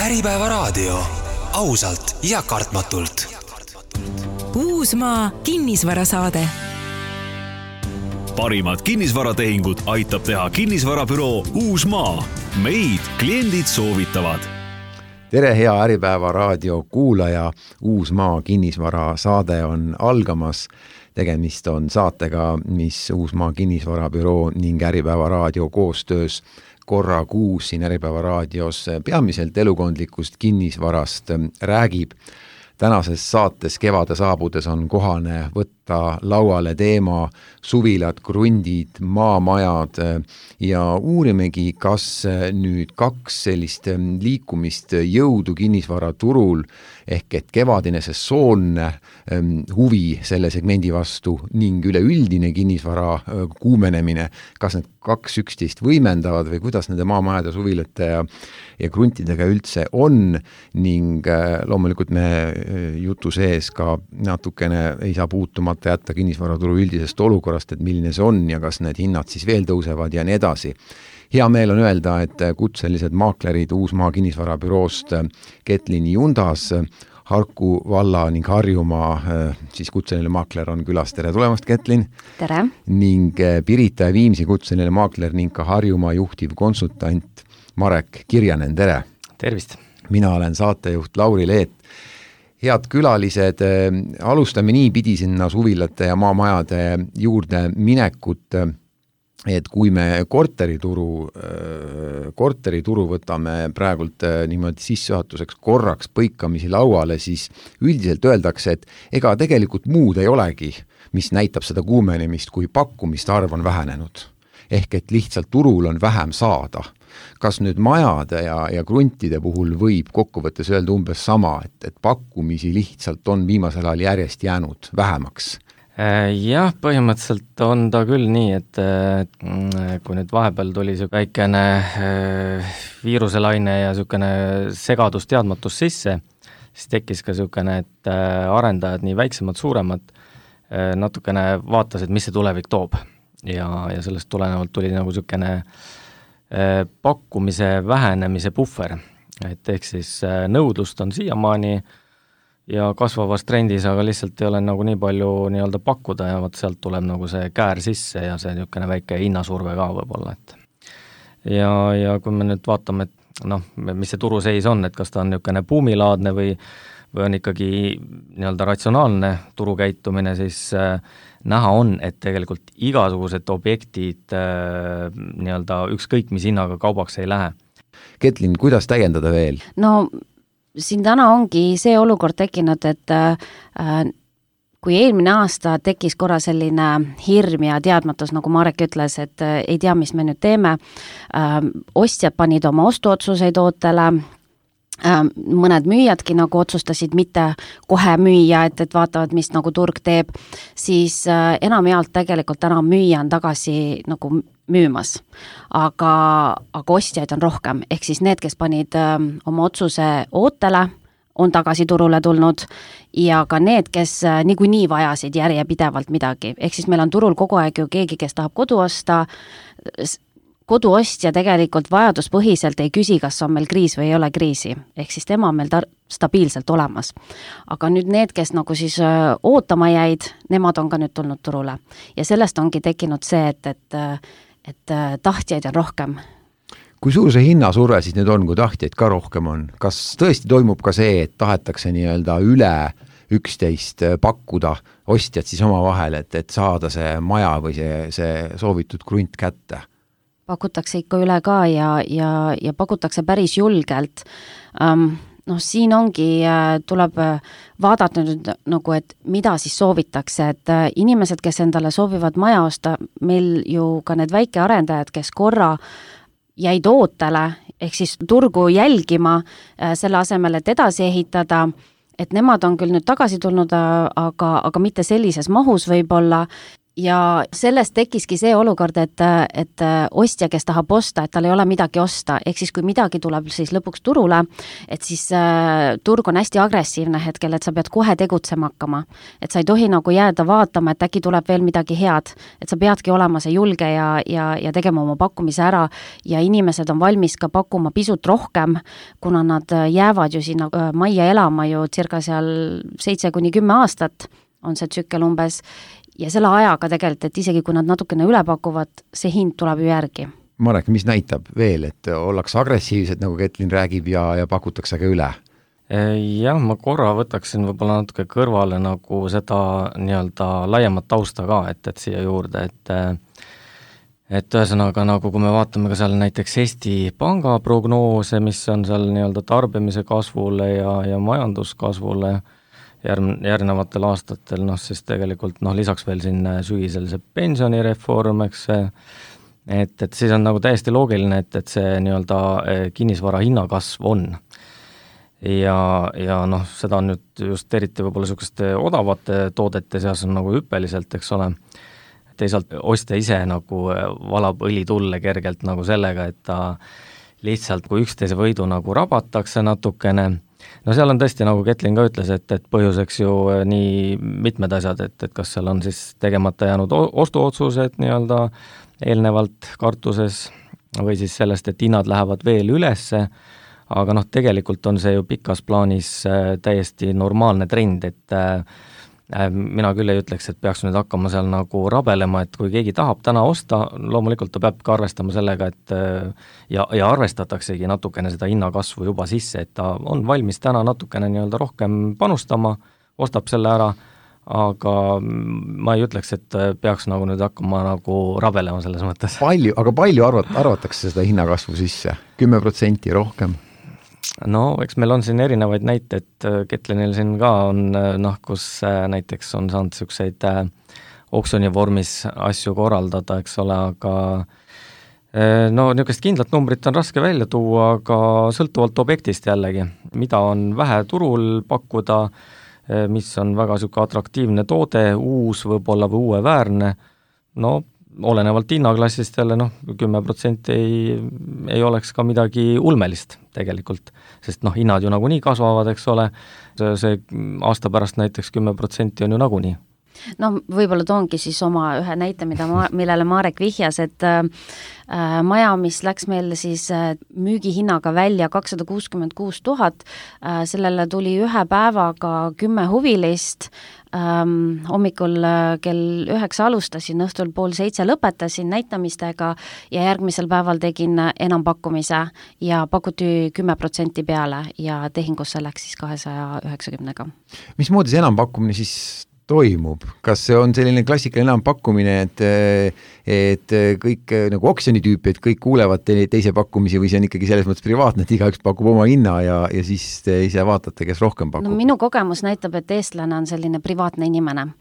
Äripäeva raadio. Ausalt ja kartmatult. Uusmaa kinnisvarasaade. Parimad kinnisvaratehingud aitab teha kinnisvarabüroo Uusmaa. Meid kliendid soovitavad. Tere, hea Äripäeva raadio kuulaja. Uusmaa kinnisvarasaade on algamas. Tegemist on saatega, mis Uusmaa kinnisvarabüroo ning Äripäeva raadio koostöös korra kuus siin Äripäeva raadios peamiselt elukondlikust kinnisvarast räägib. Tänases saates kevade saabudes on kohane võtta lauale teema suvilad, krundid, maamajad ja uurimegi, kas nüüd kaks sellist liikumist jõudu kinnisvaraturul ehk et kevadine sesoonne huvi selle segmendi vastu ning üleüldine kinnisvara kuumenemine, kas need kaks üksteist võimendavad või kuidas nende maamajade, suvilate ja kruntidega üldse on ning loomulikult me jutu sees ka natukene ei saa puutumata jätta kinnisvaraturu üldisest olukorrast, et milline see on ja kas need hinnad siis veel tõusevad ja nii edasi. Hea meel on öelda, et kutselised maaklerid Uusmaa kinnisvarabüroost Ketlin Jundas, Harku valla ning Harjumaa siis kutseline maakler on külas. Tere tulemast, Ketlin! Tere! Ning Pirita ja Viimsi kutseline maakler ning ka Harjumaa juhtiv konsultant Marek Kirjanen. Tere! Tervist! Mina olen saatejuht Lauri Leet. Head külalised, alustame niipidi sinna suvilate ja maamajade juurde minekut, et kui me korterituru võtame praegult niimoodi sissejuhatuseks korraks põikamisi lauale, siis üldiselt öeldakse, et ega tegelikult muud ei olegi, mis näitab seda kuumenemist, kui pakkumiste arv on vähenenud. Ehk et lihtsalt turul on vähem saada. Kas nüüd majade ja kruntide puhul võib kokkuvõttes öelda umbes sama, et pakkumisi lihtsalt on viimasel ajal järjest jäänud vähemaks? Jah, põhimõtteliselt on ta küll nii, et kui nüüd vahepeal tuli see väikene viiruselaine ja niisugune segadus, teadmatus sisse, siis tekkis ka niisugune, et arendajad, nii väiksemad, suuremad, natukene vaatasid, mis see tulevik toob. Ja sellest tulenevalt tuli nagu niisugune pakkumise vähenemise puhver, et ehk siis nõudlust on siiamaani ja kasvavas trendis, aga lihtsalt ei ole nagu nii palju nii-öelda pakkuda ja sealt tuleb nagu see käär sisse ja see niisugune väike hinnasurve ka võib-olla, et ja kui me nüüd vaatame, et mis see turuseis on, et kas ta on niisugune buumilaadne või on ikkagi nii-öelda ratsionaalne turukäitumine, siis näha on, et tegelikult igasugused objektid nii-öelda ükskõik mis hinnaga kaubaks ei lähe. Ketlin, kuidas täiendada veel? No siin täna ongi see olukord tekkinud, et kui eelmine aasta tekkis korra selline hirm ja teadmatus, nagu Marek ütles, et ei tea, mis me nüüd teeme, ostjad panid oma ostuotsuseid ootele, mõned müüjadki nagu otsustasid mitte kohe müüa, et vaatavad, mis nagu turg teeb, siis enamjaolt tegelikult täna müüja on tagasi nagu müümas. Aga ostjaid on rohkem, ehk siis need, kes panid oma otsuse ootele, on tagasi turule tulnud ja ka need, kes niikuinii vajasid järjepidevalt midagi. Ehk siis meil on turul kogu aeg ju keegi, kes tahab kodu osta, koduostja tegelikult vajaduspõhiselt ei küsi, kas on meil kriis või ei ole kriisi. Ehk siis tema on meil stabiilselt olemas. Aga nüüd need, kes nagu siis ootama jäid, nemad on ka nüüd tulnud turule. Ja sellest ongi tekkinud see, et tahtjaid on rohkem. Kui suur see hinnasurve siis nüüd on, kui tahtjaid ka rohkem on? Kas tõesti toimub ka see, et tahetakse nii-öelda üle 11 pakkuda ostjad siis oma vahel, et saada see maja või see soovitud krunt kätte? Pakutakse ikka üle ka ja pakutakse päris julgelt. Siin ongi, tuleb vaadata nüüd nagu, et mida siis soovitakse, et inimesed, kes endale soovivad maja osta, meil ju ka need väikearendajad, kes korra jäid ootele, ehk siis turgu jälgima selle asemel, et edasi ehitada, et nemad on küll nüüd tagasi tulnud, aga mitte sellises mahus võib-olla ja sellest tekkiski see olukord, et ostja, kes tahab osta, et tal ei ole midagi osta, ehk siis kui midagi tuleb siis lõpuks turule, et siis turg on hästi agressiivne hetkel, et sa pead kohe tegutsema hakkama. Et sa ei tohi nagu jääda vaatama, et äkki tuleb veel midagi head, et sa peadki olema see julge ja tegema oma pakkumise ära ja inimesed on valmis ka pakkuma pisut rohkem, kuna nad jäävad ju sinna majja elama ju circa seal 7-10 aastat on see tsükkel umbes, ja selle ajaga tegelikult, et isegi kui nad natukene üle pakuvad, see hind tuleb ju järgi. Marek, mis näitab veel, et ollakse agressiivsed, nagu Ketlin räägib, ja pakutakse ka üle? Jah, ma korra võtaksin võib-olla natuke kõrvale nagu seda nii-öelda laiemat tausta ka, et siia juurde, et ühesõnaga nagu kui me vaatame ka seal näiteks Eesti Panga prognoose, mis on seal nii-öelda tarbimise kasvule ja majanduskasvule järgnevatel aastatel, siis tegelikult lisaks veel siin sügisel see pensionireform, eks et siis on nagu täiesti loogiline, et see nii-öelda kinnisvara hinnakasv on. Ja seda on nüüd just eriti võib-olla niisuguste odavate toodete seas on nagu hüppeliselt, eks ole. Teisalt ostja ise nagu valab õlitulle kergelt nagu sellega, et ta lihtsalt kui üksteise võidu nagu rabatakse natukene. Seal on tõesti, nagu Ketlin ka ütles, et põhjuseks ju nii mitmed asjad, et kas seal on siis tegemata jäänud ostuotsused nii-öelda eelnevalt kartuses või siis sellest, et hinnad lähevad veel ülesse, aga tegelikult on see ju pikas plaanis täiesti normaalne trend, et mina küll ei ütleks, et peaks nüüd hakkama seal nagu rabelema, et kui keegi tahab täna osta, loomulikult ta peab ka arvestama sellega, et ja arvestataksegi natukene seda hinnakasvu juba sisse, et ta on valmis täna natukene nii-öelda rohkem panustama, ostab selle ära, aga ma ei ütleks, et peaks nagu nüüd hakkama nagu rabelema selles mõttes. Aga palju arvatakse seda hinnakasvu sisse? 10% rohkem? Eks meil on siin erinevaid näiteid, Ketlinil siin ka on, kus näiteks on saanud niisuguseid oksjoni vormis asju korraldada, eks ole, aga niisugust kindlat numbrit on raske välja tuua, aga sõltuvalt objektist jällegi, mida on vähe turul pakkuda, mis on väga niisugune atraktiivne toode, uus võib-olla või uueväärne, olenevalt hinnaklassist jälle 10% ei oleks ka midagi ulmelist tegelikult, sest hinnad ju nagunii kasvavad, eks ole, see aasta pärast näiteks 10% on ju nagunii. Võib-olla toongi siis oma ühe näite, millele Marek vihjas, et maja, mis läks meil siis müügihinnaga välja 266 000, sellele tuli ühe päevaga 10 huvilist, hommikul kell 9 alustasin, õhtul 6:30 lõpetasin näitamistega ja järgmisel päeval tegin enampakkumise ja pakuti 10% peale ja tehingusse läks siis 290-ga. Mismoodi see enampakkumine siis toimub? Kas see on selline klassikaline enampakkumine, et kõik nagu oksjoni tüüpi, et kõik kuulevad teise pakkumisi või see on ikkagi selles mõttes privaatne, et igaüks pakub oma hinna ja siis te ise vaatate, kes rohkem pakub? Minu kogemus näitab, et eestlane on selline privaatne inimene.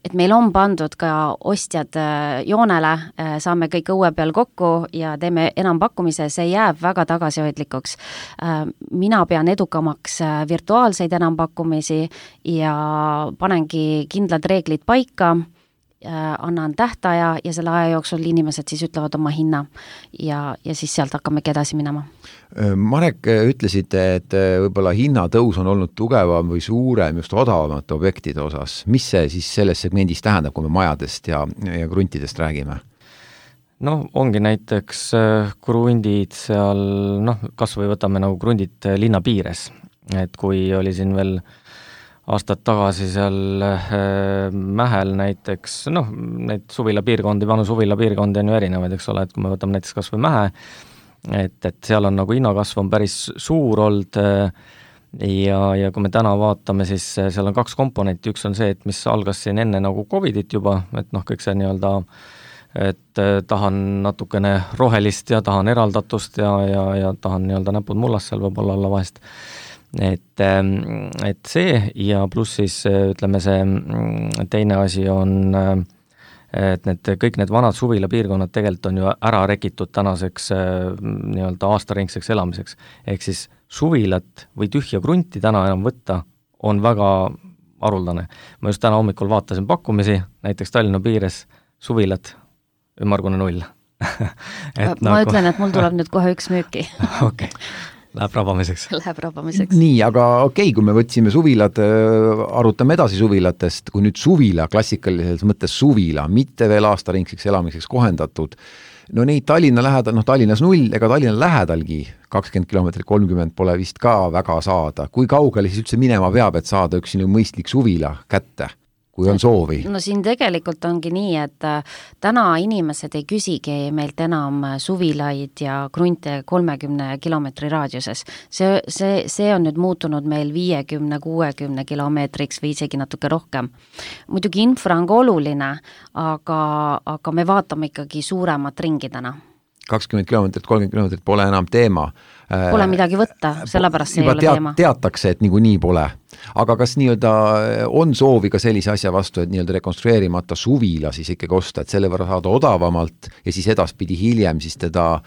Et meil on pandud ka ostjad joonele, saame kõik õue peal kokku ja teeme enampakkumise, see jääb väga tagasihoidlikuks. Mina pean edukamaks virtuaalseid enampakkumisi ja panengi kindlad reeglid paika, annan tähtaja ja selle aja jooksul inimesed siis ütlevad oma hinna ja siis sealt hakkamegi edasi minema. Marek, ütlesite, et võib-olla hinnatõus on olnud tugevam või suurem just odavamate objektide osas. Mis see siis selles segmendis tähendab, kui me majadest ja kruntidest räägime? Ongi näiteks krundid seal, kas või võtame nagu krundid linna piires, et kui oli siin veel aastad tagasi seal Mähel näiteks, neid suvilapiirkondi, vanu suvilapiirkondi on ju erinevaid, eks ole, et kui me võtame näiteks kas või Mähe, et seal on nagu hinnakasv on päris suur olnud ja kui me täna vaatame, siis seal on 2 komponenti, üks on see, et mis algas siin enne nagu Covidit juba, et kõik see nii-öelda, et tahan natukene rohelist ja tahan eraldatust ja tahan nii-öelda näpud mullas seal võib-olla olla vahest. Et see ja pluss siis ütleme see teine asi on, et kõik need vanad suvilapiirkonnad tegelikult on ju ära rekitud tänaseks nii-öelda aastaringseks elamiseks. Ehk siis suvilat või tühja krunti täna enam võtta on väga haruldane. Ma just täna hommikul vaatasin pakkumisi, näiteks Tallinna piires suvilad, ümmargune 0. Ma ütlen, et mul tuleb nüüd kohe üks müüki. Okei. Läheb rabamiseks. Läheb rabamiseks. Nii, aga okei, kui me võtsime suvilad, arutame edasi suvilatest, kui nüüd suvila, klassikalises mõttes suvila, mitte veel aastaringseks elamiseks kohendatud, no neid Tallinna lähedal, Tallinnas 0, ega Tallinna lähedalgi 20 kilomeetrit 30 pole vist ka väga saada. Kui kaugele siis üldse minema peab, et saada üks mõistlik suvila kätte? Kui on soovi. No siin tegelikult ongi nii, et täna inimesed ei küsigi meilt enam suvilaid ja krunte 30 kilomeetri raadiuses. See on nüüd muutunud meil 50-60 kilomeetriks või isegi natuke rohkem. Muidugi infra on ka oluline, aga me vaatame ikkagi suuremat ringi täna. 20 kilomeetrit, 30 kilomeetrit pole enam teema. Pole midagi võtta, sellepärast see ei ole teema. Teatakse, et nii pole. Aga kas on soovi ka sellise asja vastu, et rekonstrueerimata suvila siis ikkagi osta, et selle võrra saada odavamalt ja siis edaspidi hiljem siis teda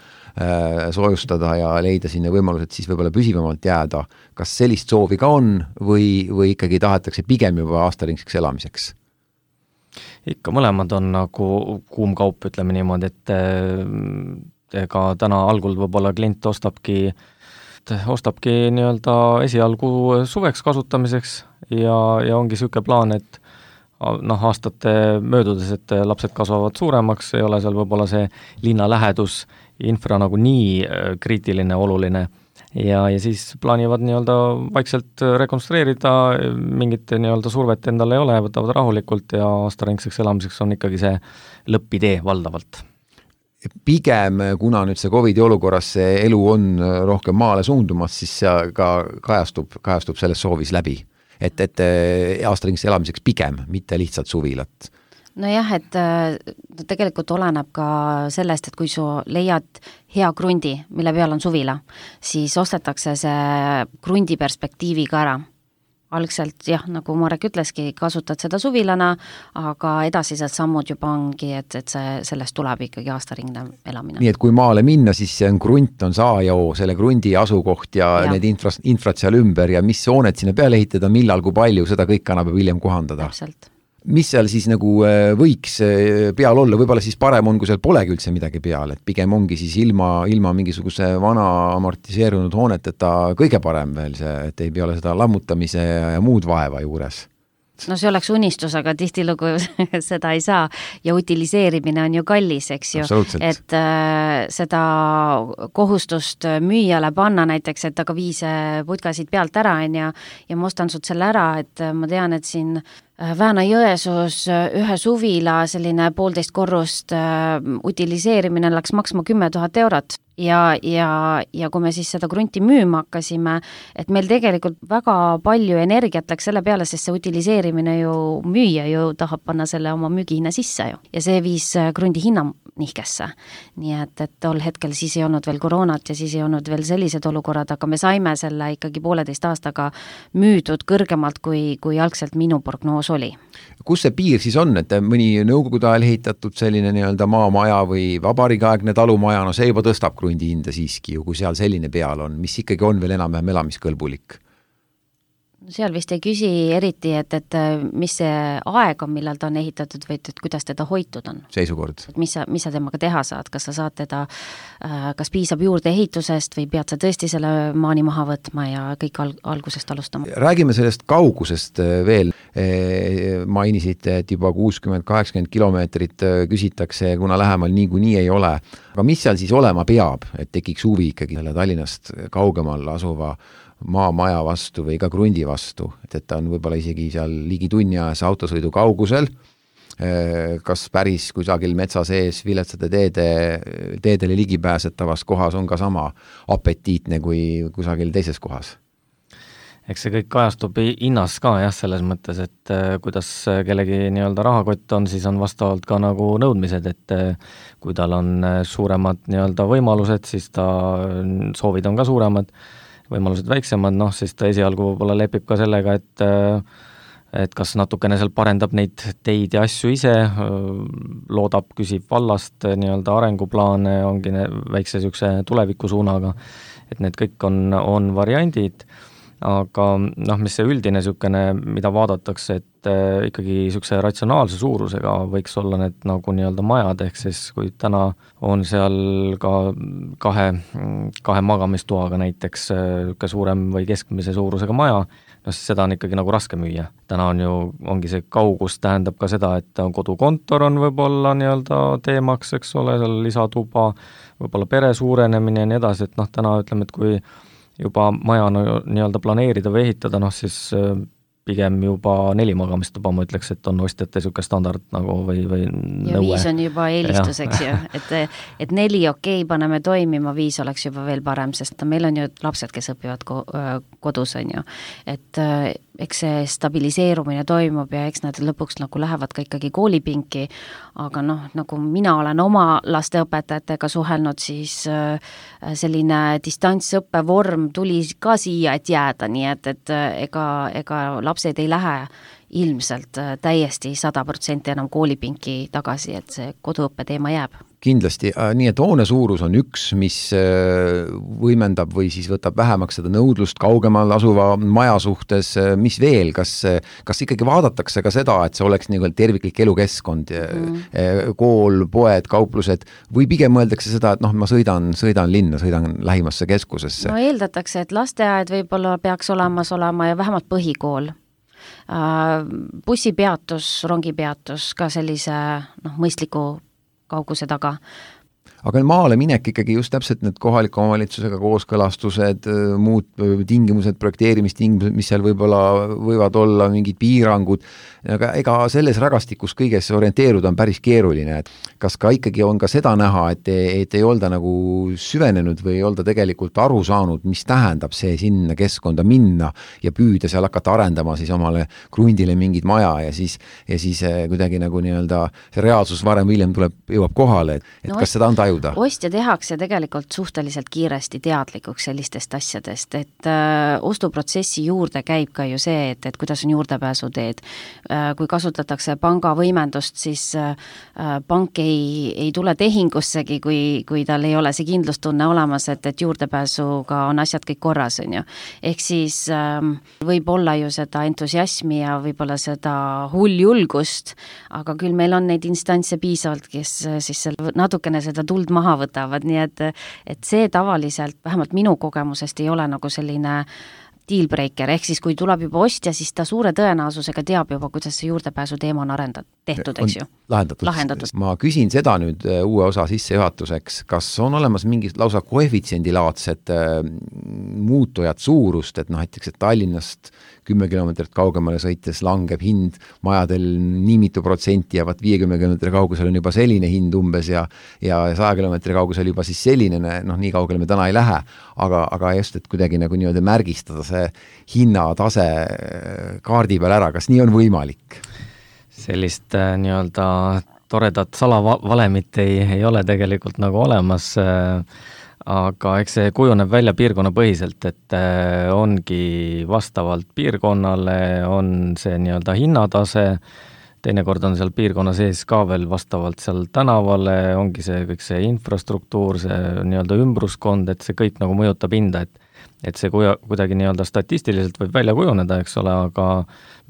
soojustada ja leida sinna võimalused siis võib-olla püsivamalt jääda. Kas sellist soovi ka on või ikkagi tahetakse pigem juba aastaringseks elamiseks? Ikka mõlemad on nagu kuum kaup, ütleme niimoodi, et ega täna algul võib-olla klient ostabki nii-öelda esialgu suveks kasutamiseks ja ongi selline plaan, et aastate möödudes, et lapsed kasvavad suuremaks, ei ole seal võib-olla see linna lähedus, infra nagu nii kriitiline, oluline ja siis plaanivad nii-öelda vaikselt rekonstrueerida, mingit nii-öelda survet endale ei ole, võtavad rahulikult ja aastaringseks elamiseks on ikkagi see lõppidee valdavalt. Pigem, kuna nüüd see COVID-i olukorras see elu on rohkem maale suundumas, siis see ka kajastub selles soovis läbi. Et aastaringseks elamiseks pigem, mitte lihtsalt suvilat. Nojah, et tegelikult oleneb ka sellest, et kui su leiad hea krundi, mille peal on suvila, siis ostetakse see krundi perspektiiviga ära. Algselt, jah, nagu Marek ütleski, kasutad seda suvilana, aga edasised sammud juba ongi, et sellest tuleb ikkagi aastaringne elamine. Nii, et kui maale minna, siis see on krunt, on saajao, selle krundi asukoht ja need infrat seal ümber ja mis hooned sinna peale ehitada, millal, kui palju, seda kõik annab hiljem kohandada. Täpselt. Mis seal siis nagu võiks peal olla, võib-olla siis parem on, kui seal polegi üldse midagi peal, et pigem ongi siis ilma mingisuguse vana amortiseerunud hooneteta kõige parem veel see, et ei pea ole seda lammutamise ja muud vaeva juures. No see oleks unistus, aga tihtilugu seda ei saa ja utiliseerimine on ju kallis, eks ju, et seda kohustust müüjale panna näiteks, et aga viise putkasid pealt ära ja ma ostan sult selle ära, et ma tean, et siin Vääna-Jõesuus ühe suvila selline 1,5 korrust utiliseerimine läks maksma 10 000 eurot ja kui me siis seda krunti müüma hakkasime, et meil tegelikult väga palju energiat läks selle peale, sest see utiliseerimine ju müüja ju tahab panna selle oma müügihinna sisse ju ja see viis krundi hinna nihkesse. Nii et tol hetkel siis ei olnud veel koroonat ja siis ei olnud veel sellised olukorrad, aga me saime selle ikkagi 1,5 aastaga müüdud kõrgemalt, kui algselt minu prognoos oli. Kus see piir siis on, et mõni nõukogude ajal ehitatud selline nii-öelda maamaja või vabariigiaegne talumaja, no see juba tõstab krundi hinda siiski ju, kui seal selline peal on, mis ikkagi on veel enam elamiskõlbulik? Seal vist ei küsi eriti, et mis see aeg on, millal ta on ehitatud või et kuidas teda hoitud on. Seisukord. Mis sa temaga teha saad, kas sa saad teda, kas piisab juurde ehitusest või pead sa tõesti selle maani maha võtma ja kõik algusest alustama? Räägime sellest kaugusest veel. Mainisid, et juba 60-80 kilomeetrit küsitakse, kuna lähemal niikuinii ei ole. Aga mis seal siis olema peab, et tekiks huvi ikkagi Tallinnast kaugemal asuva maamaja vastu või ka krundi vastu, et ta on võib-olla isegi seal ligi tunni ajas autosõidu kaugusel, kas päris kusagil metsa sees viletsate teedele ligipääsetavas kohas on ka sama apetiitne kui kusagil teises kohas? Eks see kõik kajastub hinnas ka jah, selles mõttes, et kuidas kellegi nii-öelda rahakott on, siis on vastavalt ka nagu nõudmised, et kui tal on suuremad nii-öelda võimalused, siis ta soovid on ka suuremad, võimalused väiksemad, siis ta esialgu võib-olla lepib ka sellega, et kas natukene seal parendab neid teid ja asju ise, loodab, küsib vallast nii-öelda arenguplaane, ongi väikse sükse tulevikusuunaga, et need kõik on variandid, aga mis see üldine niisugune, mida vaadatakse, et ikkagi niisuguse ratsionaalse suurusega võiks olla need nagu nii-öelda majad, ehk siis kui täna on seal ka kahe magamistoaga näiteks suurem või keskmise suurusega maja, siis seda on ikkagi nagu raske müüa. Täna ongi see kaugus tähendab ka seda, et kodukontor on võib-olla nii-öelda teemaks, eks ole, seal lisatuba, võib-olla pere suurenemine ja nii edasi, et täna ütleme, et kui juba maja nii-öelda planeerida või ehitada, siis pigem juba 4 magamistuba, ma ütleks, et on ostjate niisugune standard nagu või ja nõue. 5 on juba eelistuseks ju, et 4 okei, paneme toimima, 5 oleks juba veel parem, sest meil on ju lapsed, kes õpivad kodus, on ju, et eks see stabiliseerumine toimub ja eks nad lõpuks nagu lähevad ka ikkagi koolipinki, aga nagu mina olen oma lasteõpetajatega suhelnud, siis selline distantsõppevorm tuli ka siia, et jääda, nii et ega lapsed ei lähe ilmselt täiesti 100% enam koolipinki tagasi, et see koduõppe teema jääb. Kindlasti, nii et hoone suurus on üks, mis võimendab või siis võtab vähemaks seda nõudlust kaugemal asuva maja suhtes, mis veel, kas ikkagi vaadatakse ka seda, et see oleks nii-öelda terviklik elukeskkond, kool, poed, kauplused, või pigem mõeldakse seda, et ma sõidan linna, sõidan lähimasse keskusesse? No eeldatakse, et lasteaed võib-olla peaks olemas olema ja vähemalt põhikool. Bussipeatus, rongipeatus ka sellise mõistliku kauguse taga. Aga maale minek ikkagi just täpselt need kohaliku omavalitsusega kooskõlastused, muud tingimused, projekteerimistingimused, mis seal võivad olla, mingid piirangud, aga ega selles rägastikus kõiges orienteeruda on päris keeruline, et kas ka ikkagi on ka seda näha, et ei olda nagu süvenenud või ei olda tegelikult aru saanud, mis tähendab see sinna keskkonda minna ja püüda seal hakata arendama siis omale krundile mingid maja ja siis kuidagi nagu nii-öelda see reaalsus varem või hiljem jõuab kohale, et kas seda on tajuda? Ostja tehakse tegelikult suhteliselt kiiresti teadlikuks sellistest asjadest, et ostuprotsessi juurde käib ka ju see, et kuidas on juurdepääsuteed. Kui kasutatakse panga võimendust, siis pank ei tule tehingussegi, kui tal ei ole see kindlustunne olemas, et juurdepääsuga on asjad kõik korras, on ju. Ehk siis võib olla ju seda entusiasmi ja võib-olla seda hulljulgust, aga küll meil on neid instantse piisavalt, kes siis natukene seda tuld maha võtavad, nii et see tavaliselt, vähemalt minu kogemusest ei ole nagu selline dealbreaker, ehk siis kui tuleb juba ostja, siis ta suure tõenäosusega teab juba, kuidas see juurdepääsu teema on tehtud, eks ju. Lahendatud. Ma küsin seda nüüd uue osa sissejuhatuseks, kas on olemas mingid lausa koefitsiendilaadsed muutujad suurust, et näiteks, et Tallinnast 10 kilomeetrit kaugemale sõites langeb hind majadel nii mitu protsenti ja 50 kilomeetri kaugusel on juba selline hind umbes ja 100 kilomeetri kaugusel juba siis selline, nii kaugele me täna ei lähe, aga just, et kuidagi nagu nii-öelda märgistada see hinnatase kaardi peal ära, kas nii on võimalik? Sellist nii-öelda toredat salavalemit ei ole tegelikult nagu olemas, aga eks see kujuneb välja piirkonnapõhiselt, et ongi vastavalt piirkonnale on see nii-öelda hinnatase, teinekord on seal piirkonna sees ka veel vastavalt seal tänavale, ongi see kõik see infrastruktuur, see nii-öelda ümbruskond, et see kõik nagu mõjutab hinda, et see kuidagi nii-öelda statistiliselt võib välja kujuneda, eks ole, aga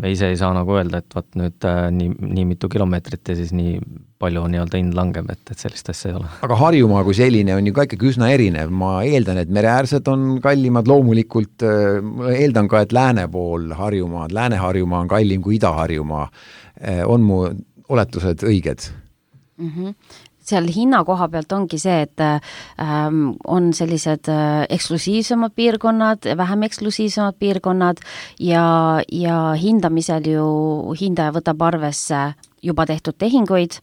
me ise ei saa nagu öelda, et vaat nüüd nii mitu kilomeetrit ja siis nii palju nii-öelda hind langeb, et sellist asja ei ole. Aga Harjumaa kui selline on ju ka ikkagi üsna erinev. Ma eeldan, et mereäärsed on kallimad loomulikult, eeldan ka, et lääne pool Harjumaad, Lääne-Harjumaa on kallim kui Ida-Harjumaa. On mu oletused õiged? Seal hinna koha pealt ongi see, et on sellised eksklusiivsemad piirkonnad, vähem eksklusiivsemad piirkonnad ja hindamisel ju hindaja võtab arvesse juba tehtud tehinguid,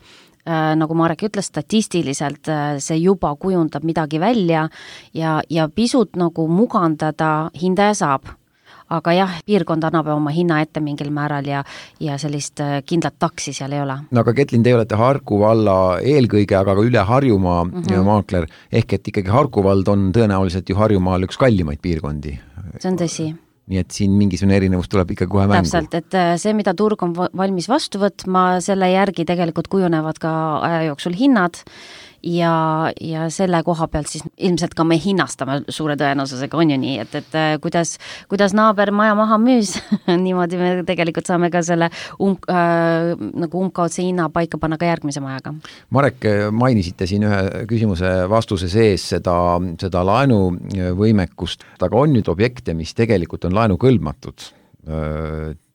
nagu Marek ütles, statistiliselt see juba kujundab midagi välja ja pisut nagu mugandada hindaja saab. Aga jah, piirkond annab oma hinna ette mingil määral ja sellist kindlat taksi seal ei ole. No aga Ketlin, te olete Harku valla eelkõige, aga ka üle Harjumaa maakler, ehk et ikkagi Harku vald on tõenäoliselt ju Harjumaal üks kallimaid piirkondi. See on tõsi. Nii et siin mingisugune erinevus tuleb ikka kohe mängu. Täpselt, et see, mida turg on valmis vastu võtma, selle järgi tegelikult kujunevad ka aja jooksul hinnad ja selle koha pealt siis ilmselt ka me hinnastame suure tõenäosusega, on ju nii, et kuidas naaber maja maha müüs, niimoodi me tegelikult saame ka selle nagu umbkaudse hinna paika panna ka järgmise majaga. Marek, mainisite siin ühe küsimuse vastuse sees seda laenuvõimekust, aga on nüüd objekte, mis tegelikult on laenukõlbmatud.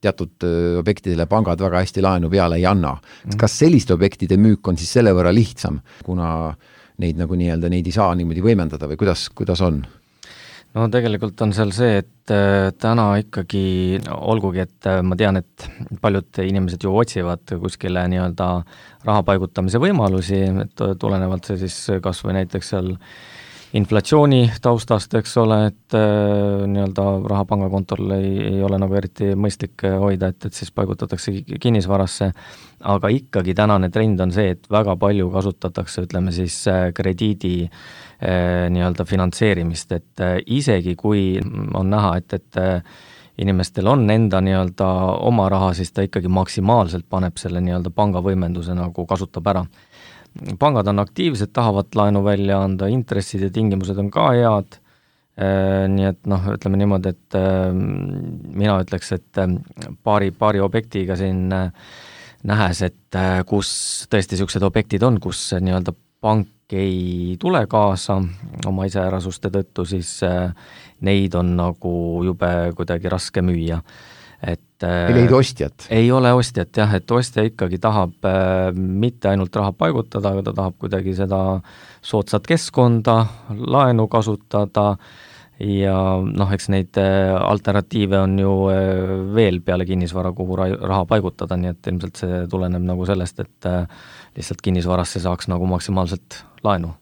Teatud objektidele pangad väga hästi laenu peale ei anna. Kas selliste objektide müük on siis selle võrra lihtsam, kuna neid nagu nii-öelda neid ei saa niimoodi võimendada või kuidas on? No tegelikult on seal see, et täna ikkagi, olgugi, et ma tean, et paljud inimesed ju otsivad kuskile nii-öelda raha paigutamise võimalusi, et tulenevalt see siis kas või näiteks seal inflatsiooni taustast, eks ole, et nii-öelda raha pangakontol ei ole nagu eriti mõistlik hoida, et siis paigutatakse kinnisvarasse, aga ikkagi tänane trend on see, et väga palju kasutatakse, ütleme siis krediidi nii-öelda finantseerimist, et isegi kui on näha, et inimestel on enda nii-öelda oma raha, siis ta ikkagi maksimaalselt paneb selle nii-öelda pangavõimenduse nagu kasutab ära. Pangad on aktiivsed, tahavad laenu välja anda, intressid ja tingimused on ka head, nii et ütleme niimoodi, et mina ütleks, et paari objektiga siin nähes, et kus tõesti niisugused objektid on, kus nii-öelda pank ei tule kaasa oma iseärasuste tõttu, siis neid on nagu jube kuidagi raske müüa. Ei leida ostjat? Ei ole ostjat jah, et ostja ikkagi tahab mitte ainult raha paigutada, aga ta tahab kuidagi seda soodsat keskkonda, laenu kasutada ja eks neid alternatiive on ju veel peale kinnisvara, kuhu raha paigutada, nii et ilmselt see tuleneb nagu sellest, et lihtsalt kinnisvarasse saaks nagu maksimaalselt laenu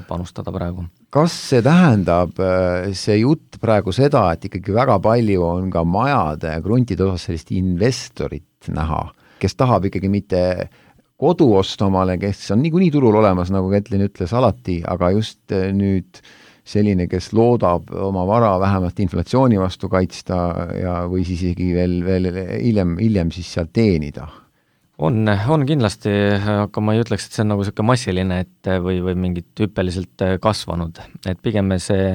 panustada praegu. Kas see tähendab see jutt praegu seda, et ikkagi väga palju on ka majade ja kruntide osas sellist investorit näha, kes tahab ikkagi mitte kodu osta omale, kes on niikuinii turul olemas, nagu Ketlin ütles alati, aga just nüüd selline, kes loodab oma vara vähemalt inflatsiooni vastu kaitsta ja või siis isegi veel hiljem siis sealt teenida? On kindlasti, aga ma ei ütleks, et see on nagu selline massiline või mingit hüppeliselt kasvanud, et pigem see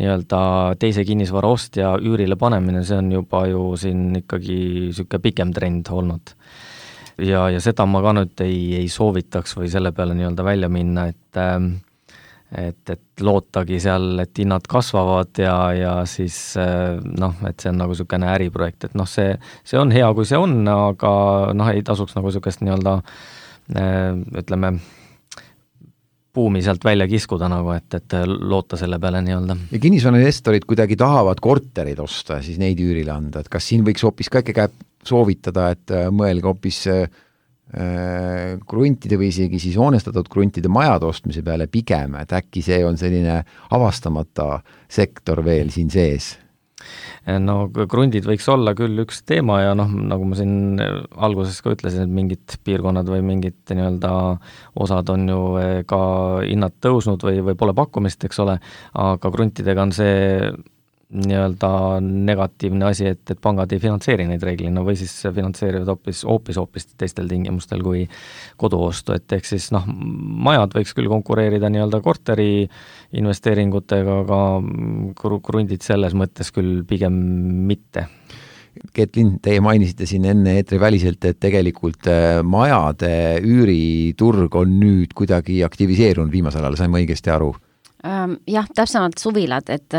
nii-öelda teise kinnisvara ostja üürile panemine, see on juba ju siin ikkagi selline pikem trend olnud. Ja seda ma ka nüüd ei soovitaks või selle peale nii-öelda välja minna, et lootagi seal, et hinnad kasvavad ja siis et see on nagu selline äriprojekt, et see on hea, kui see on, aga ei tasuks nagu sellist nii-öelda ütleme buumi sealt välja kiskuda nagu, et loota selle peale nii-öelda. Ja kinnisvarainvestorid kuidagi tahavad korterid osta ja siis neid üürile anda, et kas siin võiks hoopis ka soovitada, et mõelge hoopis kruntide või isegi siis hoonestatud kruntide majade ostmise peale pigem, et äkki see on selline avastamata sektor veel siin sees? No krundid võiks olla küll üks teema ja nagu ma siin alguses ka ütlesin, et mingid piirkonnad või mingid nii-öelda osad on ju ka hinnad tõusnud või pole pakkumist, eks ole, aga kruntidega on see nii-öelda negatiivne asi, et pangad ei finantseeri neid reeglina või siis finantseerivad hoopis teistel tingimustel kui koduostu, et ehk siis majad võiks küll konkureerida nii-öelda korteri investeeringutega, aga krundid selles mõttes küll pigem mitte. Ketlin, teie mainisite siin enne eetri väliselt, et tegelikult majade üüriturg on nüüd kuidagi aktiviseerunud viimasel ajal, sain ma õigesti aru? Jah, täpsemalt suvilad, et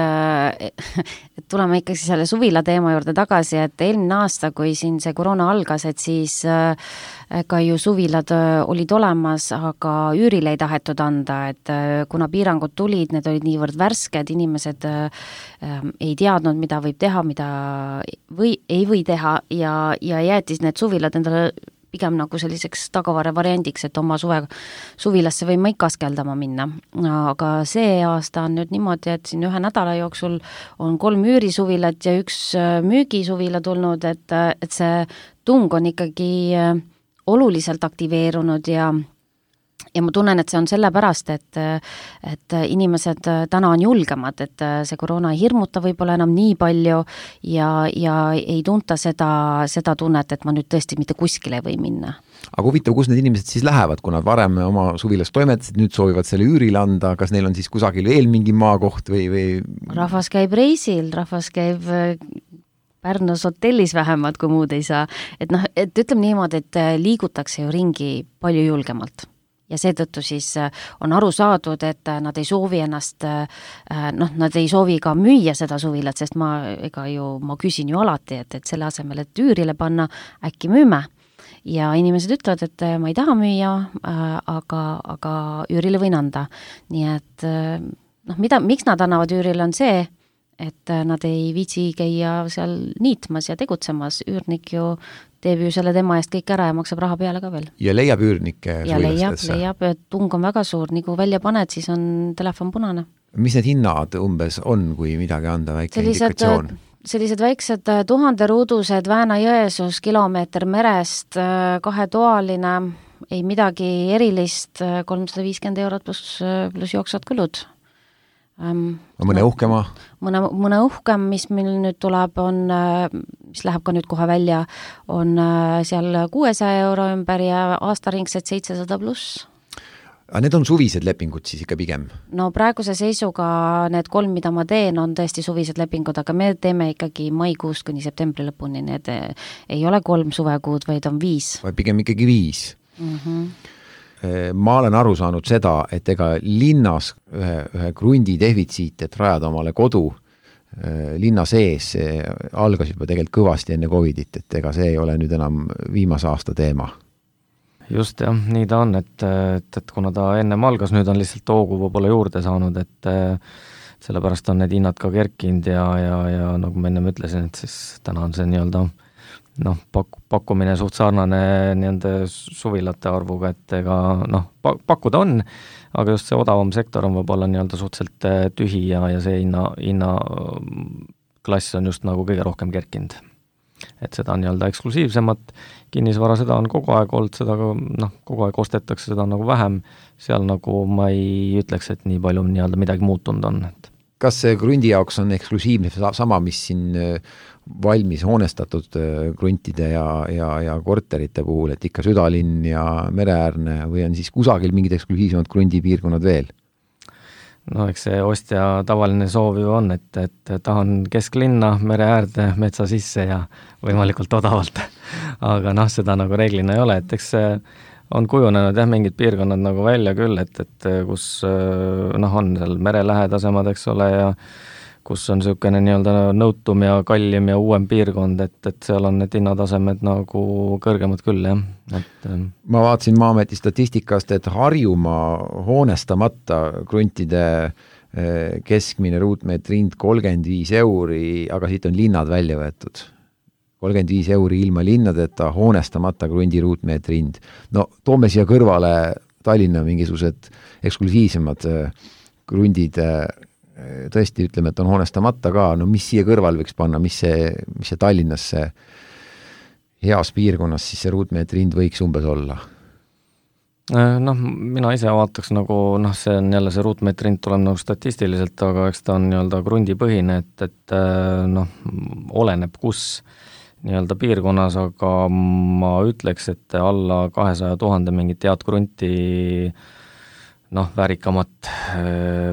tuleme ikkagi selle suvila teema juurde tagasi, et eelmine aasta, kui siin see koroona algas, et siis ka ju suvilad olid olemas, aga üürile ei tahetud anda, et kuna piirangud tulid, need olid niivõrd värsked, inimesed ei teadnud, mida võib teha, mida ei või teha ja jäetis need suvilad endale pigem nagu selliseks tagavara variandiks, et oma suvilasse võime ikka askeldama minna. Aga see aasta on nüüd niimoodi, et siin 1 nädala jooksul on 3 üürisuvilat ja 1 müügisuvila tulnud, et see tung on ikkagi oluliselt aktiveerunud ja ja ma tunnen, et see on sellepärast, et inimesed täna on julgemad, et see koroona ei hirmuta võib-olla enam nii palju ja ei tunta seda tunnet, et ma nüüd tõesti mitte kuskile ei või minna. Aga huvitav, kus need inimesed siis lähevad, kui nad varem oma suvilas toimetasid, nüüd soovivad selle üürile anda, kas neil on siis kusagil veel mingi maakoht või? Rahvas käib reisil, rahvas käib Pärnus hotellis vähemalt, kui muud ei saa. Et ütleme niimoodi, et liigutakse ju ringi palju julgemalt. Ja seetõttu siis on aru saadud, et nad ei soovi ennast, nad ei soovi ka müüa seda suvilat, sest ma küsin ju alati, et selle asemel, et üürile panna, äkki müüme. Ja inimesed ütlevad, et ma ei taha müüa, aga üürile võin anda. Nii et miks nad annavad üürile on see, et nad ei viitsi käia seal niitmas ja tegutsemas. Üürnik ju teeb ju selle tema eest kõik ära ja maksab raha peale ka veel. Ja leiab üürnikke suvilastesse? Ja leiab, tung on väga suur, nii kui välja paned, siis on telefon punane. Mis need hinnad umbes on, kui midagi anda, väike indikatsioon? Sellised väiksed 1000 ruudused Väänä-Jõesuus, kilomeeter merest, 2-toaline, ei midagi erilist, 350 € pluss jooksvad kulud. Mõne uhkema? Mõne uhkem, mis meil nüüd tuleb, mis läheb ka nüüd kohe välja, on seal 600 € ümber ja aastaringsed 700 pluss. Aga need on suvised lepingud siis ikka pigem? No praeguse seisuga need 3, mida ma teen, on tõesti suvised lepingud, aga me teeme ikkagi maikuust kuni septembri lõpuni. Need ei ole 3 suvekuud, vaid on 5. Või pigem ikkagi 5. Ma olen aru saanud seda, et ega linnas ühe krundi defitsiit, et rajada omale kodu linna sees, algas juba tegelikult kõvasti enne Covidit, et ega see ei ole nüüd enam viimase aasta teema. Just jah, nii ta on, et kuna ta ennem algas, nüüd on lihtsalt hoogu võib-olla juurde saanud, et sellepärast on need hinnad ka kerkinud ja nagu ma ennem ütlesin, et siis täna on see nii-öelda pakkumine suht sarnane nii-öelda suvilate arvuga, et ega pakkuda on, aga just see odavam sektor on võib-olla nii-öelda suhteliselt tühi ja see hinna klass on just nagu kõige rohkem kerkinud. Et seda on nii-öelda eksklusiivsemat kinnisvara, seda on kogu aeg olnud, seda kogu aeg ostetakse, seda on nagu vähem, seal nagu ma ei ütleks, et nii palju nii-öelda midagi muutunud on. Kas see krundi jaoks on eksklusiivne sama, mis siin valmis hoonestatud kruntide ja korterite puhul, et ikka südalinn ja mereäärne või on siis kusagil mingid eksklusiivsemad krundipiirkonnad veel? No eks see ostja tavaline soov ju on, et tahan kesklinna, mere äärde, metsa sisse ja võimalikult odavalt. Aga seda nagu reeglina ei ole, et eks see on kujunenud mingid piirkonnad nagu välja küll, et kus on seal mere lähedasemad, eks ole, ja kus on niisugune nii-öelda nõutum ja kallim ja uuem piirkond, et seal on need hinnatasemed nagu kõrgemad küll, jah. Ma vaatasin Maa-ameti statistikast, et Harjumaa hoonestamata kruntide keskmine ruutmeetri hind 35 €, aga siit on linnad välja võetud. 35 € ilma linnadeta hoonestamata krundi ruutmeetri hind. No toome siia kõrvale Tallinna mingisugused eksklusiivsemad krundid, tõesti ütleme, et on hoonestamata ka, mis siia kõrval võiks panna, mis see Tallinnas see heas piirkonnas siis see ruutmeetri hind võiks umbes olla? Mina ise vaataks see on jälle see ruutmeetri hind tuleb nagu statistiliselt, aga eks ta on nii-öelda krundipõhine, et oleneb kus nii-öelda piirkonnas, aga ma ütleks, et alla 200 000 mingit head krunti väärikamat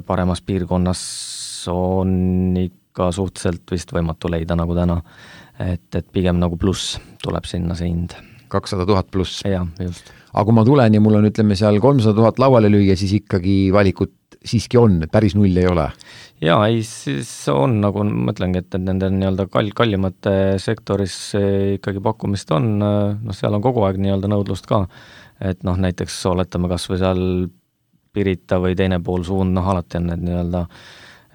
paremas piirkonnas on ikka suhteliselt vist võimatu leida nagu täna, et pigem nagu pluss tuleb sinna see hind. 200 000 pluss? Jah, just. Aga kui ma tulen ja mul on, ütleme, seal 300 000 lauale lüüa, siis ikkagi valikut siiski on, päris null ei ole? Jaa, siis on, nagu ma ütlengi, et nende nii-öelda kallimate sektoris ikkagi pakkumist on, seal on kogu aeg nii-öelda nõudlust ka, et näiteks oletame kas või seal Pirita või teine pool suund, alati on need nii-öelda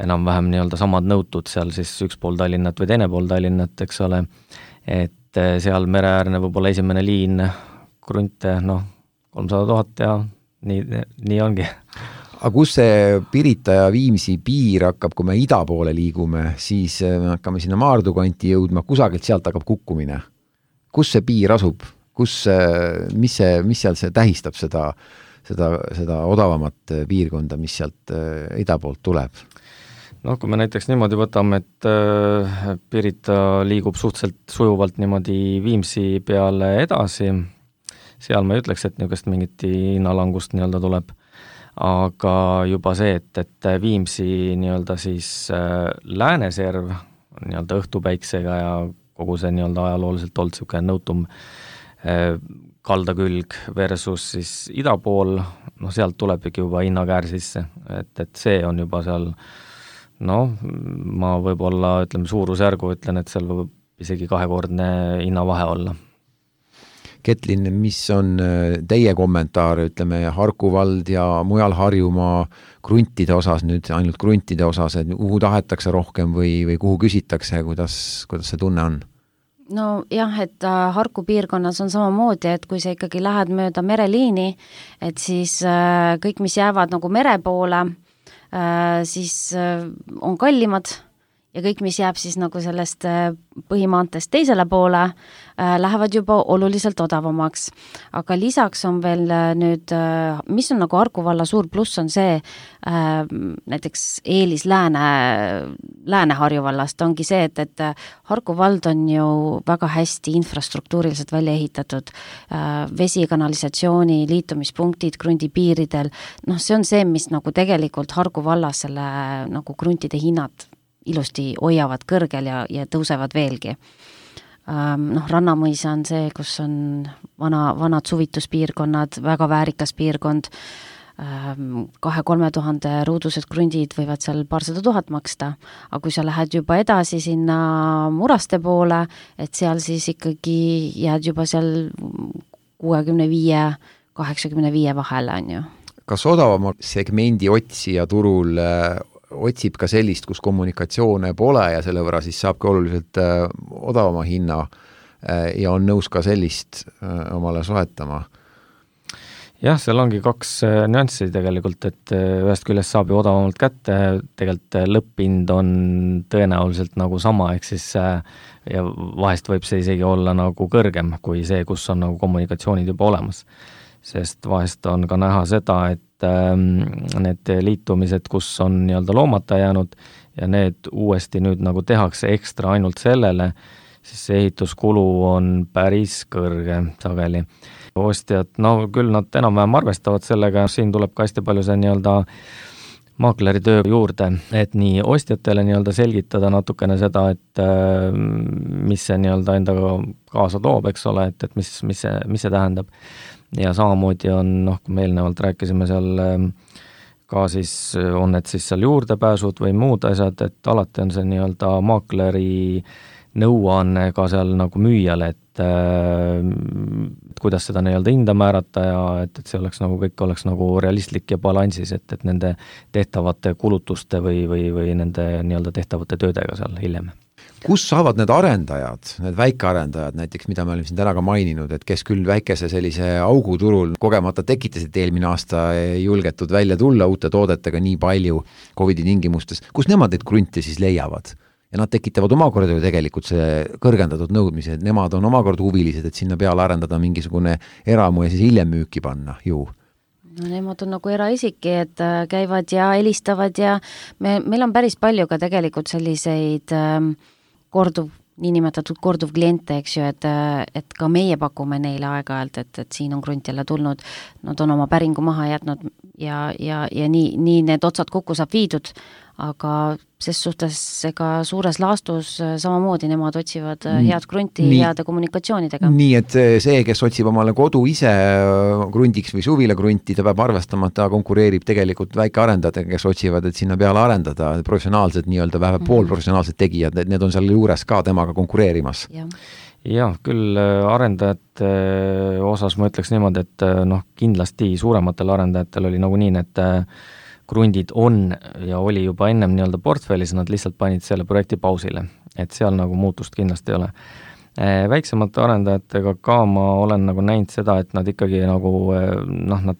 enam-vähem nii-öelda samad nõutud, seal siis üks pool Tallinnat või teine pool Tallinnat, eks ole, et seal mereäärne võib-olla esimene liin, krunte, 300 000 ja nii ongi. Aga kus see Pirita ja Viimsi piir hakkab, kui me ida poole liigume, siis me hakkame sinna Maardu kanti jõudma, kusagilt sealt hakkab kukkumine. Kus see piir asub? Mis seal see tähistab seda odavamat piirkonda, mis sealt ida poolt tuleb? Noh, kui me näiteks niimoodi võtame, et Pirita liigub suhteliselt sujuvalt niimoodi Viimsi peale edasi, seal ma ei ütleks, et niisugust mingit hinnalangust nii-öelda tuleb, aga juba see, et Viimsi nii-öelda siis lääneserv nii-öelda õhtupäiksega ja kogu see nii-öelda ajalooliselt olnud niisugune nõutum kaldakülg versus siis ida pool, noh sealt tulebki juba hinnakäär sisse, et see on juba seal noh, ma võib-olla ütleme suurusjärgu ütlen, et seal võib isegi 2-kordne hinnavahe olla. Ketlin, mis on teie kommentaar, ütleme Harku vald ja mujal Harjumaa kruntide osas, nüüd ainult kruntide osas, et kuhu tahetakse rohkem või kuhu küsitakse, kuidas see tunne on? No jah, et Harku piirkonnas on samamoodi, et kui sa ikkagi lähed mööda mereliini, et siis kõik, mis jäävad nagu mere poole, siis on kallimad ja kõik, mis jääb siis nagu sellest põhimaantest teisele poole, lähevad juba oluliselt odavamaks. Aga lisaks on veel nüüd, mis on nagu Harku valla suur pluss, on see näiteks eelis Lääne-Harju vallast ongi see, et Harku vald on ju väga hästi infrastruktuuriliselt välja ehitatud, vesi, kanalisatsiooni, liitumispunktid krundipiiridel, noh see on see, mis nagu tegelikult Harku vallas selle nagu kruntide hinnad ilusti hoiavad kõrgel ja tõusevad veelgi. Noh, Rannamõisa on see, kus on vanad suvituspiirkonnad, väga väärikas piirkond, 2-3 tuhande ruudused krundid võivad seal 200 000 maksta, aga kui sa lähed juba edasi sinna Muraste poole, et seal siis ikkagi jääd juba seal 65-85 vahele, on ju. Kas odavama segmendi otsija turul otsib ka sellist, kus kommunikatsioone pole ja selle võrra siis saabki oluliselt odavama hinna ja on nõus ka sellist omale soetama? Jah, seal ongi 2 nüanssi tegelikult, et ühest küljest saab ju odavamalt kätte, tegelikult lõpphind on tõenäoliselt nagu sama, ehk siis ja vahest võib see isegi olla nagu kõrgem kui see, kus on nagu kommunikatsioonid juba olemas. Sest vahest on ka näha seda, et need liitumised, kus on nii-öelda loomata jäänud ja need uuesti nüüd nagu tehakse ekstra ainult sellele, siis see ehituskulu on päris kõrge sageli. Ostjad, no küll nad enam-vähem arvestavad sellega, siin tuleb ka hästi palju see nii-öelda maakleri töö juurde, et nii ostjatele nii-öelda selgitada natukene seda, et mis see nii-öelda endaga kaasa toob, eks ole, et mis see tähendab. Ja samamoodi on, noh, kui me eelnevalt rääkisime seal ka siis, on need siis seal juurdepääsud või muud asjad, et alati on see nii-öelda maakleri nõuanne ka seal nagu müüjale, et kuidas seda nii-öelda hinda määrata ja et see oleks nagu, kõik oleks nagu realistlik ja balansis, et nende tehtavate kulutuste või nende nii-öelda tehtavate töödega seal hiljem. Kus saavad need arendajad, need väikearendajad näiteks, mida me oleme siin täna ka maininud, et kes küll väikese sellise auguturul kogemata tekitasid eelmine aasta julgetud välja tulla uute toodetega nii palju COVID-i tingimustes, kus nemad neid krunte siis leiavad? Ja nad tekitavad omakorda ju tegelikult see kõrgendatud nõudmise, et nemad on omakorda huvilised, et sinna peale arendada mingisugune eramu ja siis hiljem müüki panna ju. No nemad on nagu eraisiki, et käivad ja helistavad ja meil on päris palju ka tegelikult selliseid niinimetatud korduv kliente, eks ju, et ka meie pakume neile aeg-ajalt, et siin on krunt jälle tulnud, nad on oma päringu maha jätnud ja nii need otsad kokku saab viidud, aga ses suhtes ega suures laastus samamoodi nemad otsivad head krunti heade kommunikatsioonidega. Nii, et see, kes otsib omale kodu ise krundiks või suvile krunti, ta peab arvestama, et ta konkureerib tegelikult väikearendajatega, kes otsivad, et sinna peale arendada professionaalsed, nii-öelda vähe poolprofessionaalsed tegijad, need on seal juures ka temaga konkureerimas. Jah, küll arendajate osas ma ütleks niimoodi, et noh, kindlasti suurematel arendajatel oli nagu nii, et krundid on ja oli juba ennem nii-öelda portfellis, nad lihtsalt panid selle projekti pausile, et seal nagu muutust kindlasti ei ole. Väiksemate arendajatega ka ma olen nagu näinud seda, et nad ikkagi nagu, noh, nad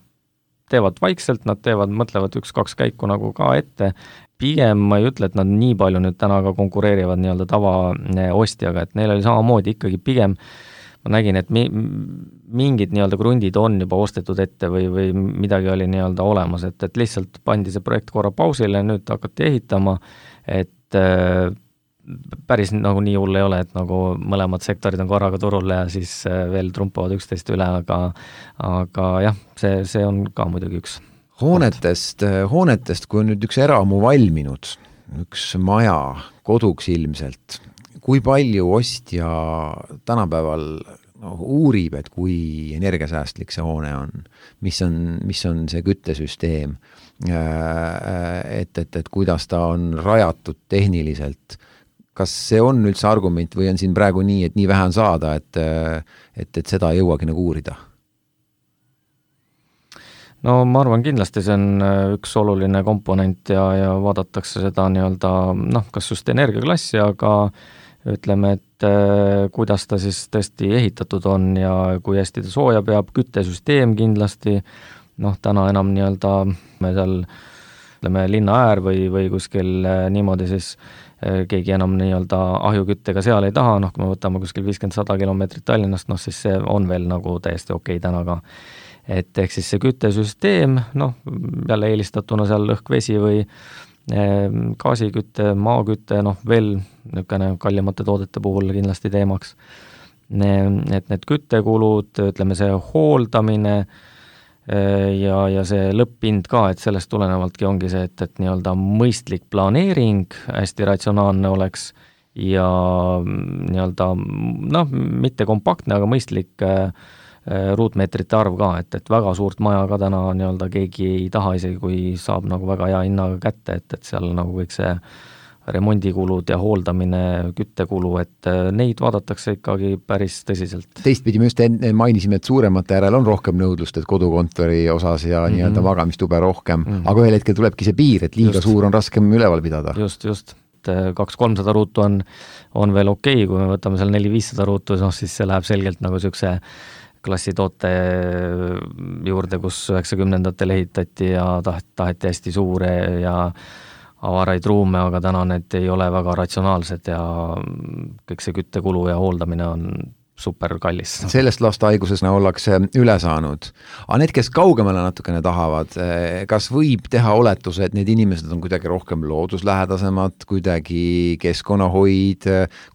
teevad vaikselt, nad mõtlevad 1-2 käiku nagu ka ette. Pigem ma ei ütle, et nad nii palju nüüd täna ka konkureerivad nii-öelda tava ostjaga, et neil oli samamoodi ikkagi pigem ma nägin, et mingid nii-öelda krundid on juba ostetud ette või midagi oli nii-öelda olemas, et lihtsalt pandi see projekt korra pausile, nüüd hakati ehitama, et päris nagu nii hull ei ole, et nagu mõlemad sektorid on korraga turul ja siis veel trumpavad üksteist üle, aga jah, see on ka muidugi üks. Hoonetest, kui on nüüd üks eramu valminud, üks maja koduks ilmselt, kui palju ostja tänapäeval uurib, et kui energiasäästlik see hoone on, mis on see küttesüsteem, et kuidas ta on rajatud tehniliselt, kas see on üldse argument või on siin praegu nii, et nii vähe on saada, et seda ei jõuagi nagu uurida? No ma arvan, kindlasti see on üks oluline komponent ja vaadatakse seda nii-öelda, kas just energiaklassi, aga ütleme, et kuidas ta siis tõesti ehitatud on ja kui hästi ta sooja peab, küttesüsteem kindlasti, täna enam nii-öelda me seal ütleme linna äär või kuskil niimoodi siis keegi enam nii-öelda ahjuküttega seal ei taha, kui me võtame kuskil 50-100 kilomeetrit Tallinnast, siis see on veel nagu täiesti okei täna ka. Et ehk siis see küttesüsteem, jälle eelistatuna seal õhk-vesi või gaasikütte, maakütte, veel niisugune kallimate toodete puhul kindlasti teemaks. Et need küttekulud, ütleme see hooldamine ja see lõpphind ka, et sellest tulenevaltki ongi see, et nii-öelda mõistlik planeering hästi ratsionaalne oleks ja nii-öelda, mitte kompaktne, aga mõistlik ruutmeetrite arv ka, et väga suurt maja ka täna nii-öelda keegi ei taha, isegi kui saab nagu väga hea hinnaga kätte, et seal nagu kõik see remondikulud ja hooldamine, küttekulu, et neid vaadatakse ikkagi päris tõsiselt. Teistpidi me just mainisime, et suuremate järel on rohkem nõudlust, et kodukontori osas ja nii-öelda magamistube rohkem, aga ühel hetkel tulebki see piir, et liiga suur on raskem üleval pidada. Just. 200-300 ruutu on veel okei, kui me võtame seal 400-500 ruutu, siis see läheb selgelt nagu niisuguse klassitoote juurde, kus 90-ndatel ehitati ja taheti hästi suure ja avaraid ruume, aga täna need ei ole väga ratsionaalsed ja kõik see küttekulu ja hooldamine on super kallis. Sellest lastehaigusena ollakse üle saanud. Aga need, kes kaugemale natukene tahavad, kas võib teha oletuse, et need inimesed on kuidagi rohkem looduslähedasemad, kuidagi keskkonnahoid,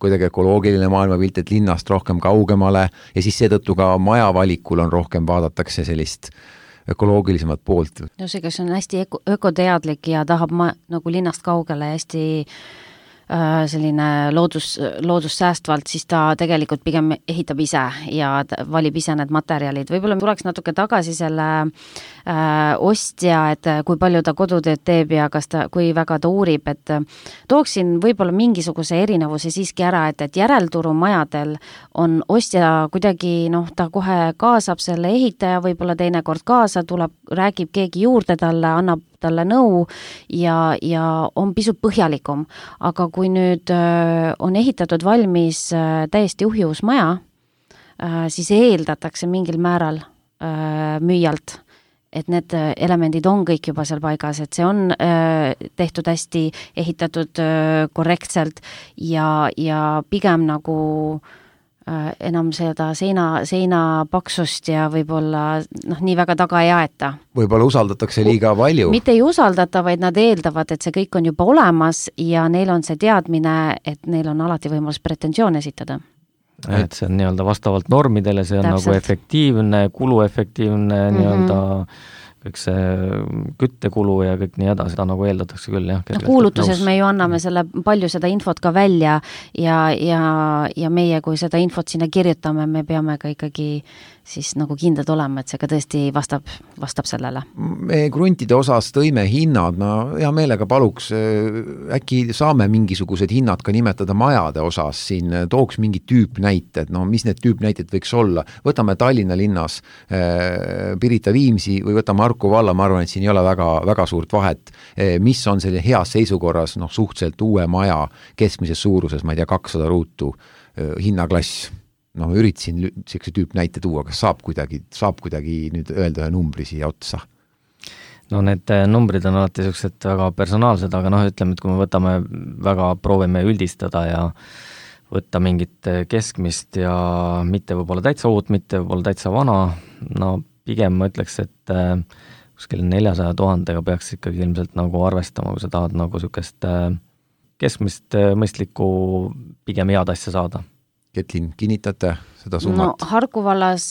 kuidagi ökoloogiline maailmapilt, et linnast rohkem kaugemale ja siis seetõttu ka maja valikul on rohkem vaadatakse sellist ökoloogilisemat poolt? No see, kes on hästi ökoteadlik ja tahab nagu linnast kaugele hästi selline loodussäästvalt, siis ta tegelikult pigem ehitab ise ja valib ise need materjalid. Võib-olla tuleks natuke tagasi selle ostja, et kui palju ta kodutööd teeb ja kui väga ta uurib, et tooksin võib-olla mingisuguse erinevuse siiski ära, et järelturumajadel on ostja kuidagi, ta kohe kaasab selle ehitaja, võib-olla teinekord kaasa tuleb, räägib keegi juurde talle, annab talle nõu ja on pisut põhjalikum. Aga kui nüüd on ehitatud valmis täiesti uhjus maja, siis eeldatakse mingil määral müüjalt, et need elemendid on kõik juba seal paigas, et see on tehtud hästi, ehitatud korrektselt ja pigem nagu enam seda seina paksust ja võib-olla nii väga taga ei aeta. Võib-olla usaldatakse liiga palju. Mitte ei usaldata, vaid nad eeldavad, et see kõik on juba olemas ja neil on see teadmine, et neil on alati võimalus pretensioon esitada. Et see on nii-öelda vastavalt normidele, see on täpselt nagu efektiivne, kuluefektiivne nii-öelda kõik see küttekulu ja kõik nii edasi, seda nagu eeldatakse küll, jah. Kuulutuses me ju anname palju seda infot ka välja ja meie, kui seda infot sinna kirjutame, me peame ka ikkagi siis nagu kindlad olema, et see ka tõesti vastab sellele. Me kruntide osas tõime hinnad, ma hea meelega paluks, äkki saame mingisugused hinnad ka nimetada majade osas, siin tooks mingi tüüpnäited, mis need tüüpnäited võiks olla. Võtame Tallinna linnas Pirita Viimsi või võtame Harku valla, ma arvan, et siin ei ole väga suurt vahet. Mis on selline heas seisukorras, suhteliselt uue maja keskmises suuruses, ma ei tea, 200 ruutu hinnaklass. Üritasin sellise tüüpnäite tuua, kas saab kuidagi nüüd öelda ühe numbri siia otsa? Need numbrid on alati sellised väga personaalsed, aga ütleme, et kui me proovime üldistada ja võtta mingit keskmist ja mitte võib-olla täitsa uut, mitte võib-olla täitsa vana, no pigem ma ütleks, et kuskil 400 000 peaks ikkagi ilmselt nagu arvestama, kui sa tahad nagu niisugust keskmist mõistlikku pigem head asja saada. Ketlin, kinnitate seda summat? No Harku vallas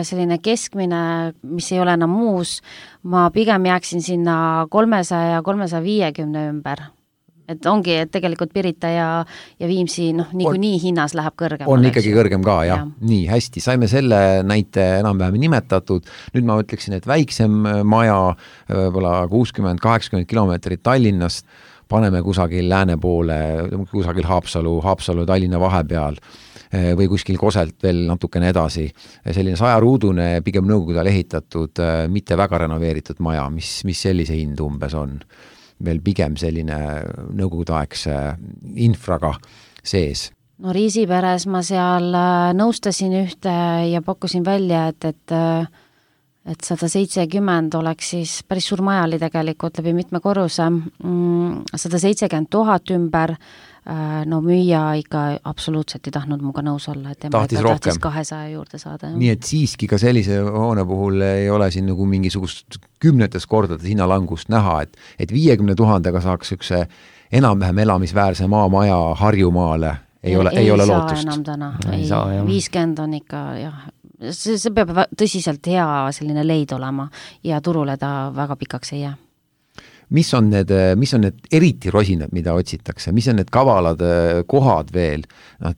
selline keskmine, mis ei ole enam muus, ma pigem jääksin sinna 300 ja 350 ümber. Et ongi, et tegelikult Pirita ja Viimsi niikuinii hinnas läheb kõrgem. On ikkagi kõrgem ka, jah. Nii, hästi, saime selle näite enam-vähem nimetatud. Nüüd ma ütleksin, et väiksem maja, võib-olla 60-80 kilomeetrit Tallinnast, paneme kusagil lääne poole, kusagil Haapsalu Tallinna vahepeal või kuskil Koselt veel natukene edasi. Selline 100-ruudune, pigem nõukogude ajal ehitatud, mitte väga renoveeritud maja, mis sellise hind umbes on. Veel pigem selline nõukogudeaegse infraga sees. No Riisiperes ma seal nõustasin ühte ja pakkusin välja, et 170 oleks siis päris suur maja oli tegelikult läbi mitme korruse, 170 000 ümber, no müüja ikka absoluutselt ei tahtnud muga nõus olla, et tema tahtis 200 juurde saada. Nii et siiski ka sellise hoone puhul ei ole siin nagu mingisugust 10 kordades hinnalangust näha, et 50 000 saaks ükse enam-vähem elamisväärse maamaja Harjumaale ei ole lootust. Enam täna. Ei, 50 on ikka, jah. See peab tõsiselt hea selline leid olema ja turule ta väga pikaks ei jää. Mis on need eriti rosinad, mida otsitakse? Mis on need kavalad kohad veel?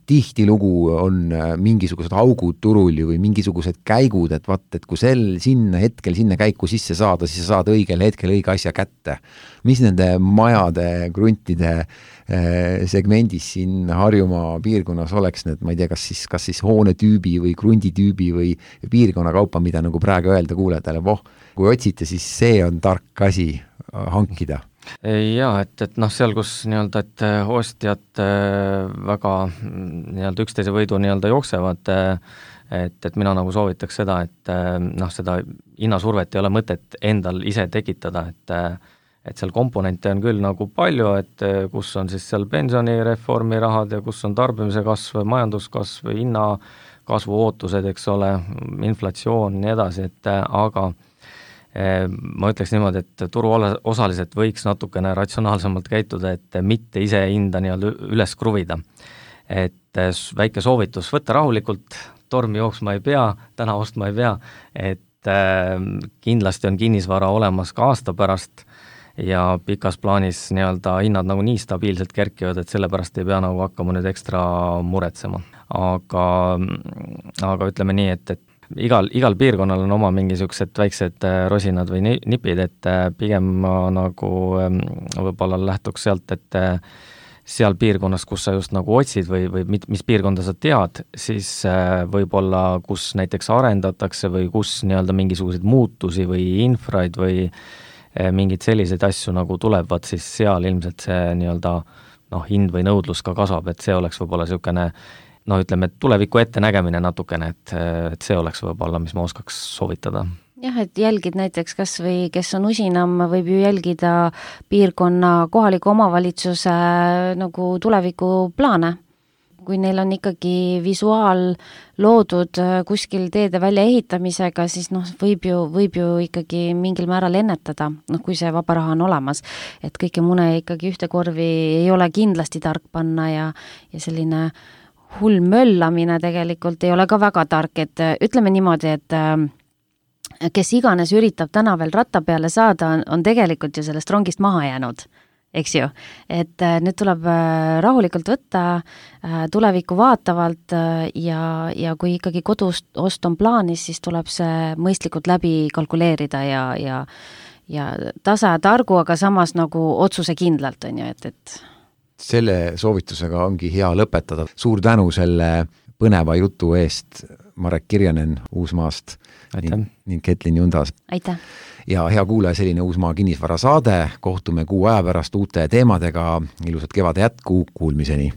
Tihtilugu on mingisugused augud turul või mingisugused käigud, et kui sinna käiku sisse saada, siis sa saad õigel hetkel õige asja kätte. Mis nende majade, kruntide segmendis siin Harjumaa piirkonnas oleks need, ma ei tea, kas siis hoonetüübi või krunditüübi või piirkonna kaupa, mida nagu praegu öelda kuulajatele, kui otsite, siis see on tark asi hankida. Jaa, et seal, kus nii-öelda, et ostjad väga nii-öelda üksteise võidu nii-öelda jooksevad, et mina nagu soovitaks seda, et seda hinnasurvet ei ole mõtet endal ise tekitada, et seal komponente on küll nagu palju, et kus on siis seal pensionireformi rahad ja kus on tarbimise kasv, majanduskasv, hinnakasvu ootused, eks ole, inflatsioon ja nii edasi, et aga ma ütleks niimoodi, et turuosalised võiks natukene ratsionaalsemalt käituda, et mitte ise hinda nii-öelda üles kruvida. Et väike soovitus, võtta rahulikult, tormi jooksma ei pea, täna ostma ei pea, et kindlasti on kinnisvara olemas ka aasta pärast ja pikas plaanis nii-öelda hinnad nagu nii stabiilselt kerkivad, et sellepärast ei pea nagu hakkama nüüd ekstra muretsema. Aga ütleme nii, et igal piirkonnal on oma mingisugused väiksed rosinad või nipid, et pigem ma nagu võib-olla lähtuks sealt, et seal piirkonnas, kus sa just nagu otsid või mis piirkonda sa tead, siis võib-olla kus näiteks arendatakse või kus nii-öelda mingisuguseid muutusi või infraid või mingid selliseid asju nagu tulevad, siis seal ilmselt see nii-öelda hind või nõudlus ka kasvab, et see oleks võib-olla niisugune ütleme, et tuleviku ette nägemine natukene, et see oleks võib-olla, mis ma oskaks soovitada. Jah, et jälgid näiteks kas või, kes on usinam, võib ju jälgida piirkonna kohaliku omavalitsuse nagu tulevikuplaane. Kui neil on ikkagi visuaal loodud kuskil teede välja ehitamisega, siis võib ju ikkagi mingil määral ennetada, kui see vaba raha on olemas. Et kõike mune ikkagi ühte korvi ei ole kindlasti tark panna ja selline hull möllamine tegelikult ei ole ka väga tark, et ütleme niimoodi, et kes iganes üritab täna veel ratta peale saada, on tegelikult ju sellest rongist maha jäänud, eks ju. Et nüüd tuleb rahulikult võtta, tulevikku vaatavalt ja kui ikkagi kodust ost on plaanis, siis tuleb see mõistlikult läbi kalkuleerida ja tasa ja targu, aga samas nagu otsuse kindlalt on ju, et selle soovitusega ongi hea lõpetada. Suur tänu selle põneva jutu eest, Marek Kirjanen Uusmaast ning Ketlin Jundas. Aitäh! Ja hea kuulaja, selline Uusmaa kinnisvara saade. Kohtume kuu aja pärast uute teemadega. Ilusat kevade jätku, kuulmiseni!